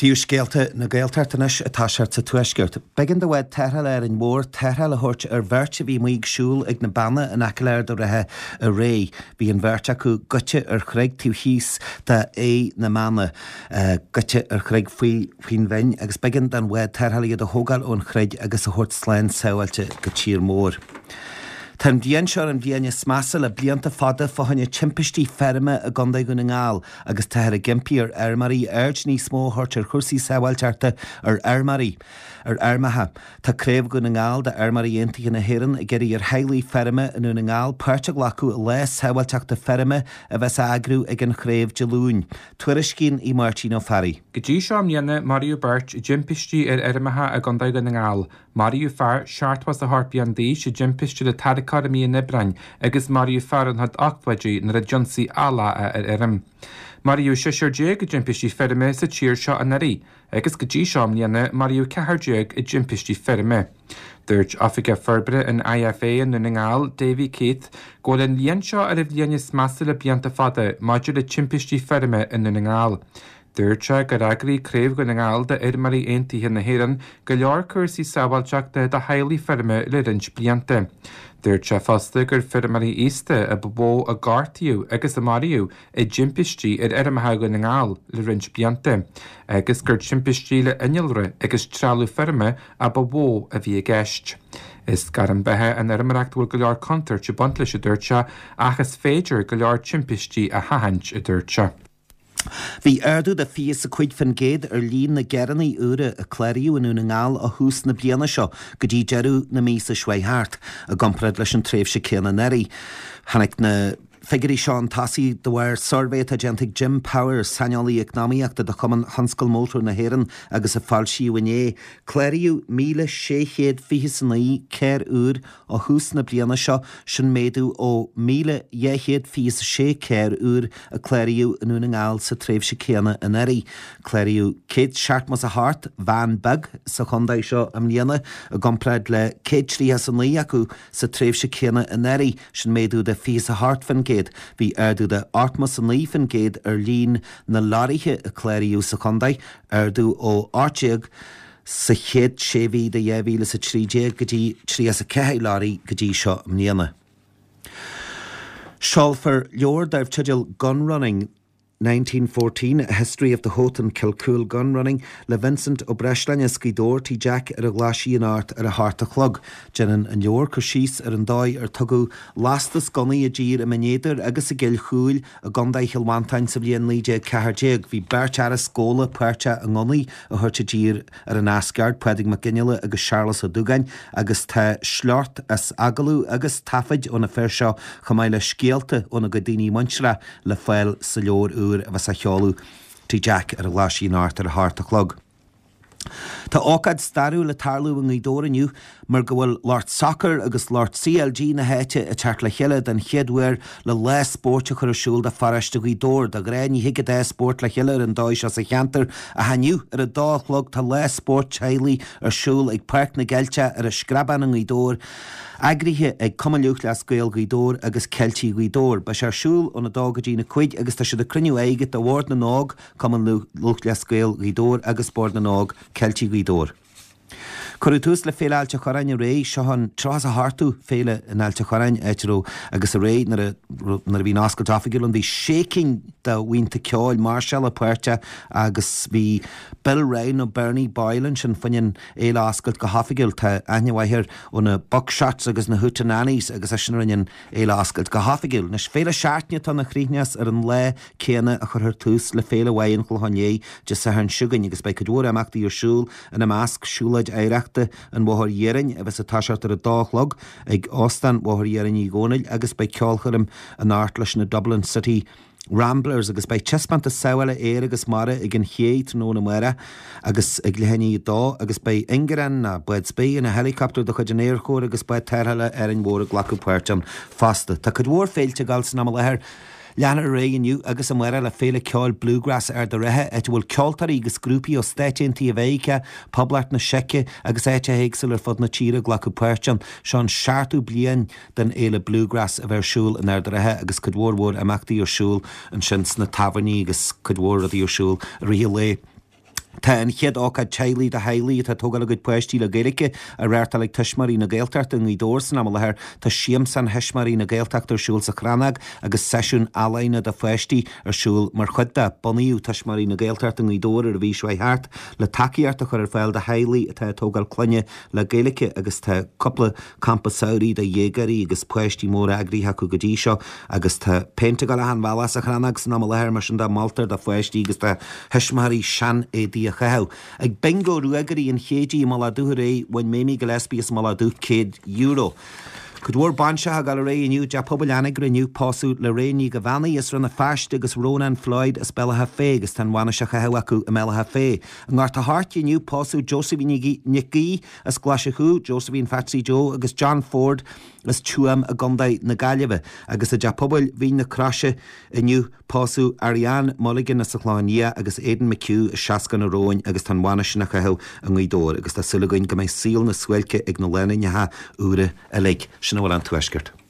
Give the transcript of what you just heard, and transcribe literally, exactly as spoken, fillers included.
Príomhscéalta na Gaeltachta anois atá sé sa Tuaisceart. B'éigean do bhád tarrthála Árainn Mhór tarrtháil a thabhairt ar bheirt a bhí amuigh ag siúl ag na Beanna in aice le Ard an Rátha aréir. Bhí an bheirt acu goite ar chreig taobh thíos de Fhaigh na mBeanna, goite ar chreig faoi faoin bhinn agus b'éigean don bhád tarrthála iad a thógáil ón chreig agus a thabhairt slán sábháilte go tír mór. Tá an bhliain seo ar an bhliain is measa le blianta fada fá choinne timpistí feirme i gContae Dhún na nGall agus táthar ag impí ar fheirmeoirí aird níos mó a thabhairt ar chúrsaí sábháilteachta ar fheirmeoirí ar fheirmeacha. Tá Craobh Dhún na nGall d'Fheirmeoirí Aontaithe na hÉireann ag iarraidh ar theaghlaigh feirme i nDún na nGall páirt a ghlacadh i lá sábháilteachta feirme a bheas á eagrú ag an chraobh Dé Luain. Tuairiscíonn í Máirtín Ó Fearraigh. Go dtí seo i mbliana maraíodh beirt i dtimpistí ar fheirmeacha i gContae Dhún na nGall. Maraíodh fear seachtó is a hocht bliain d'aois i dtimpiste le tarracóir i mí an Aibreáin agus maraíodh fear ina chuid ochtóidí nuair a d'ionsaigh eallach é ar fheirm. Maraíodh seisear déag i dtimpistí feirme sa tír seo anuraidh agus go dtí seo i mbliana maraíodh ceathrar déag i dtimpistí feirme. Dúirt Oifigeach Forbartha an IFA i nDún na nGall, Davy Keith, go bhfuil an bhliain seo ar an bhliain is measa le blianta fada maidir le timpistí feirme i nDún na nGall. Dúirt sé gur eagraigh Craobh Dhún na nGall d'Fheirmeoirí Aontaithe na hÉireann go leor cúrsaí sábháilteachta do theaghlaigh feirme le roinnt blianta. Dúirt sé fosta gur feirmeoirí aosta a ba mhó a gortaíodh agus a maraíodh i dtimpistí ar fheirmeacha Dhún na nGall le roinnt blianta, agus gur timpistí le innealra agus trealamh feirme a ba mhó a bhí i gceist. Is gairm beatha an fheirmeoireacht a bhfuil go leor contúirt ag baint leis, a dúirt sé, ach is féidir go leor timpistí a sheachaint, a dúirt sé. Bhí ardú de fiche is a cúig faoin gcéad ar líon na gcarranna úra a cláraíodh i nDún na nGall ó thús na bliana seo go dtí deireadh na míosa seo thart, i gcomparáid leis an tréimhse céanna anuraidh. Tháinig na figiúirí seo chun tosaigh de bharr suirbhé atá déanta ag Jim Power, saineolaí eacnamaíochta do Chumann Thionscal Mótar na hÉireann agus a foilsíodh inné. Cláraíodh míle sé chéad fiche is a naoi carr úr ó thús na bliana seo, sin méadú ó míle dhá chéad fiche is a sé carr úr a cláraíodh i nDún na nGall sa tréimhse céanna anuraidh. Cláraíodh céad seachtó is a hocht veain beag sa chontae seo i mbliana, i gcomparáid le céad tríocha is a naoi acu sa tréimhse céanna anuraidh, sin méadú de fiche is a hocht faoin gcéad. Bhí ardú de ochtó is a naoi faoin gcéad ar líon na leoraithe a cláraíodh sa chontae, ardú ó ocht déag sa chéad sé mhí de dhá mhíle is a trí déag go dtí tríocha is a ceathair leoraí go dtí seo i mbliana. Seolfar leabhar darb teideal Gun Running nineteen fourteen, A History of the Howth and Kilcoole Gun Running le Vincent Ó Breisleáin as Gaoth Dobhair, Tigh Jack ar an Ghlaisigh anocht ar a hocht a chlog. Déanann an leabhar cur síos ar an dóigh ar tugadh lastas gunnaí i dtír i mBinn Éadair agus i gCill Chúil i gContae Chill Mhantáin sa bhliain naoi déag ceathair déag. Bhí beirt fhear as Gabhla páirteach i ngunnaí a thabhairt i dtír ar an Eas Ceart, Pádraig Mac Fhionnghaile agus Searlas Ó Dúgáin, agus tá sliocht as agallaimh agus taifid ó na fir seo chomh maith le scéalta óna gcuid daoine muinteartha le fáil sa leabhar úr a bheas á sheoladh Tigh Jack ar an Ghlaisigh anocht ar a hocht a chlog. Tá ócáid stairiúil ag tarlú i nGaoth Dobhair inniu mar go bhfuil lucht sacair agus lucht CLG na háite ag teacht le chéile den chéad uair le lá spóirt a chur ar siúl do pharóiste Ghaoth Dobhair. De ghnáth ní thig an dá spórt le chéile ar an dóigh seo sa cheantar ach inniu ar a dó a chlog tá lá spóirt teaghlaigh ar siúl ag Páirc na gCeilteach ar an Screabán i nGaoth Dobhair, eagraithe ag Cumann Lúthchleas Gael Ghaoth Dobhair agus Ceiltigh Ghaoth Dobhair. Beidh sé ar siúl óna dó go dtí na cúig agus tá siad ag cruinniú airgid do Bhord na nÓg, Cumann Lúthchleas Gael Ghaoth Dobhair agus Bord na nÓg, Ceiltigh Ghaoth Dobhair. Cuireadh tús le Féile Ailt a' Chorráin aréir, seo an tríocha is a hochtú féile in Ailt a' Chorráin, áit a raibh agus aréir nuair a nuair a bhí an oscailt oifigiúil ann bhí sé cinn de bhuíonta ceoil máirseála páirteach agus bhí Bill Ryan nó Bernie Boyle ansin fá choinne an fhéile a oscailt go hoifigiúil. Tá aithne mhaith air ó na Buckshots agus na Hootenannies agus eisean a rinne an fhéile a oscailt go hoifigiúil. Anois féile seachtaine atá ann a chríochnós ar an lá céanna a chuirfear tús le Féile Mhaighe an Chlocháin Léith Dé Sathairn seo chugainn agus beidh cuid mhór imeachtaí ar siúl, ina measc, siúlóid oidhreachta an Bhóthair Iarainn a bheas ag toiseacht ar a dó a chlog ag Óstán Bhóthar Iarainn Uí Dhónaill agus beidh ceolchoirm anocht leis na Dublin City Ramblers agus beidh taispeántas sábhála aeir agus mara ag an Ché tráthnóna amárach agus ag leath i ndiaidh a dó agus beidh ingearán nó bád spraoi ina helicopter de chuid an Aerchóir agus bád tarrthála Árainn Mhór ag glacadh páirt ann fosta. Tá cuid mhór féilte ag dul san am i láthair. Leanfar ar aghaidh inniu agus amárach le Féile Ceoil Bluegrass Ard an Rátha, áit a bhfuil ceoltóirí agus grúpaí ó Stáit Aontaithe Mheiriceá, Poblacht na Seice agus áiteacha éagsúla ar fud na tíre ag glacadh páirt ann. Seo an seachtú bliain den Fhéile Bluegrass a bheith ar siúl in Ard an Rátha agus cuid mhór mhór imeachtaí ar siúl ansin sna tábhairní agus cuid mhór rudaí ar siúl i rith an lae. Tá an chéad ócáid teaghlaigh do theaghlaigh atá ag tógáil a gcuid páistí le Gaeilge á reáchtáil ag Tuismitheoirí na Gaeltachta i nGaoth Dobhair san am i láthair. Tá Siamsán Thuismitheoirí na Gaeltachta ar siúl sa Chrannóg agus seisiún ealaíne do pháistí ar siúl mar chuid de. Bunaíodh Tuismitheoirí na Gaeltachta i nGaoth Dobhair ar an mhí seo thart le tacaíocht a chur ar fáil do theaghlaigh atá ag tógáil clainne le Gaeilge agus tá cúpla campa samhraidh do dhéagóirí agus páistí móra eagraithe acu go dtí seo agus tá péint ag dul achan bhealach sa Chrannóg san am i láthair mar sin de moltar do pháistí agus do thuismitheoirí sean-éadaí a chaitheamh. Ag Bingo Ruagairí an Chéididh i mBealach Dubh aréir, bhain Mamie Gillespie as an mBealach Dubh céad euro. Cuid mhór bainseacha ag dul ar aghaidh inniu, i dTeach Pobail Anagaire inniu, pósadh Lorraine Ní Dhomhnaill as Rann na Feirste agus Rónán Floyd as Béal Átha Féith agus tá an bhainis á chaitheamh acu i mBéal Átha Féith. I nGort a' Choirce inniu, pósadh Josephine Nic Aoidh as Glaise Chú, Josephine Phatsy Joe agus John Ford as Tuaim i gContae na Gaillimhe agus i dTeach Pobail Mhín na Croise inniu, pósadh Ariane Mulligan as an Chlochán Liath agus Aidan McHugh as Seascann an Róin agus tá an bhainis sin á chaitheamh i nGaoth Dobhair agus tá súil againn go mbeidh saol na suáilce ag na lánúineacha úra uilig. Sin a bhfuil ón Tuaisceart.